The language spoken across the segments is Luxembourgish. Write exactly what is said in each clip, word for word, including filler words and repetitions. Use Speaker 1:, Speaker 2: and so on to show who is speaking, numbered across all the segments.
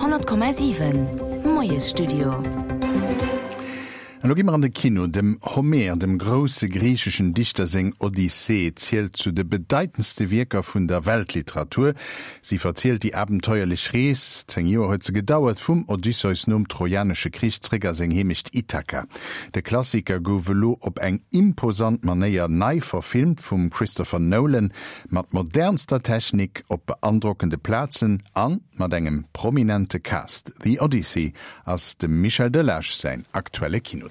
Speaker 1: honnert Komma siwen Moiesstudio.
Speaker 2: An elo gi mer an de Kino. Dem Homer, dem grousse griicheschen Dichter seng Odyssee zielt zu de bedeitendste Wierker vun der Weltliteratur. Si verzielt déi abenteuerlech Rees, zéng Joer huet se gedauert, vum Odysseus nom Trojanesche Krich zréck a seng Heemecht Ithaka. De Klassiker gouf elo op eng imposant Manéier nei verfilmt vum Christopher Nolan, mat modernster Technik, op beandrockende Plazen a mat engem prominente Cast. The Odyssey ass dem Michel Delage säin aktuelle Kinotipp.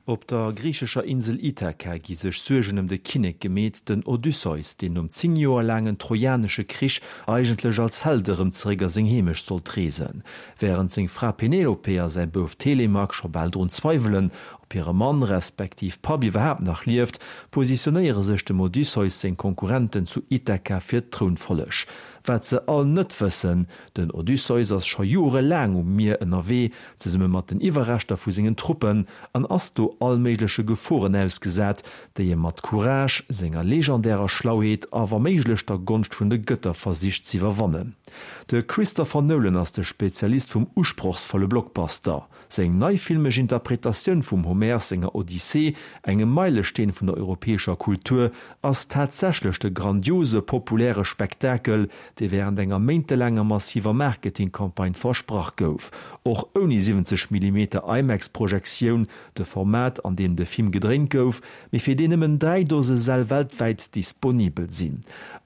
Speaker 3: Op der griichescher Insel Ithaka gi sech Suergen ëm de Kinnek gemeet, den Odysseus, deen nom zéng Joer laangen Trojanesche Krich eigentlech als Held erëm zeréck a seng Heemecht sollt reesen. Wärend seng Fra Penelope a säi Bouf Telemak scho bal drun zweiwelen, ob hire Mann respektiv Papp iwwerhaapt nach lieft, positionéiere sech dem Odysseus seng Konkurrenten zu Ithaka fir d'Trounfolleg. Wat se all net wëssen, Den Odysseus ass scho jorelaang um Mier ënnerwee, zesumme mat den Iwwerreschter vu sengen Truppen, an ass do all méigleche Geforen ausgesat, déi e mat Courage, senger legendärer Schlauheet a wa méiglech der Gonscht vun de Gëtter versicht z'iwwerwannen. De Christopher Nolan ass de Spezialist vum usprochsvolle Blockbuster. Seng nei filmesch Interpretatioun vum Homer senger Odyssee, engem Meilesteen vun der europäescher Kultur, ass tatsächlech de grandiose populäre Spektakel, dee wärend enger méintelaanger massiver Marketingcampagne versprach gouf. Och ouni siwwenzeg Millimeter IMAX-Projektioun, de Format an deem de Film gedréint gouf, mee fir deen nëmmen dräi Dose Säll weltwäit disponibel sinn.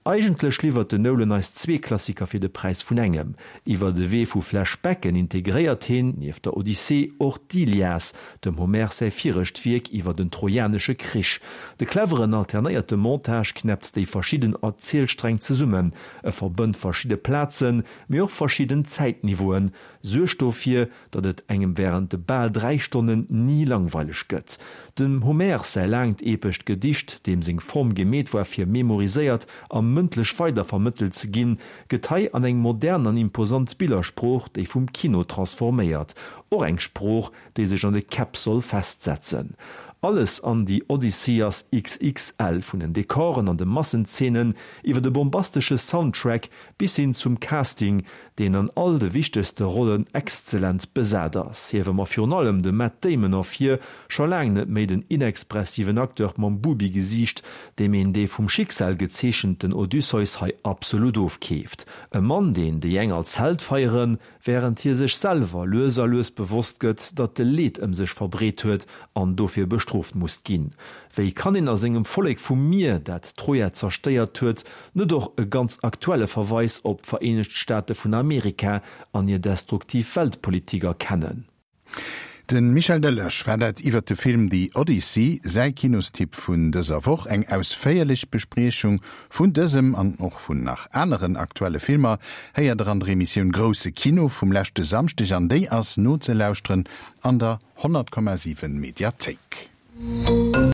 Speaker 3: Eigentlech liwwert den Nolan eis zwee Klassiker fir de Präis vun engem. Iwwer de Wee vu Flashbacken integréiert hien, nieft der Odyssee, och d'Ilias, dem Homer säi viregt Wierk iwwer den Trojanesche Krich. De cleveren alternéierte Montage knäppt déi verschidden Erzielsträng zesummen, e verbënnt verschidde Plazen, mee och verschidden Zäitniveauen, suergt dofir, datt et engem wärend de bal dräi Stonnen ni langweileg gëtt. Dem Homer säi laangt epescht Gedicht, deem seng Form gemeet war fir memoriséiert a mëndlech weidervermëttelt ze ginn, gëtt hei an eng modern an imposant Billersprooch, déi vum Kino, transforméiert. Och eng Sprooch, déi sech an de Käpp soll festsetzen. Alles an The Odyssey ass XXL, vun den Dekoren an de Massenzeenen iwwer de bombastesche Soundtrack bis hin zum Casting, deen an all de wichtegste Rollen exzellent besat ass. Hiewe mer virun allem de Matt Damon ervir, scho laang net méi den inexpressiven Acteur mam Bubi-Gesiicht, deem een dee vum Schicksal gezeechenten Odysseus hei absolut ofkeeft. E Mann, deen déi eng als Held feieren, wärend hie sech selwer lues a lues bewosst gëtt, datt e Leed ëm sech verbreet huet an dofir bestrooft muss ginn. Wéi kann een a sengem Vollek vum Mier, dat Troja zerstéiert huet, net och e ganz aktuelle Verweis op d'Vereenegt Staate vun Amerika an hir destruktiv Weltpolitik erkennen?
Speaker 2: De Michel Delage war dat iwwer de Film The Odyssey, säi Kinostipp vun dëser Woch. Eng ausféierlech Bespriechung vun dësem an och vun nach aneren aktuelle Filmer héiert der an der Emissioun Grousse Kino vum leschte Samschdeg an déi ass nozelauschteren an der honnert Komma siwen Mediathéik.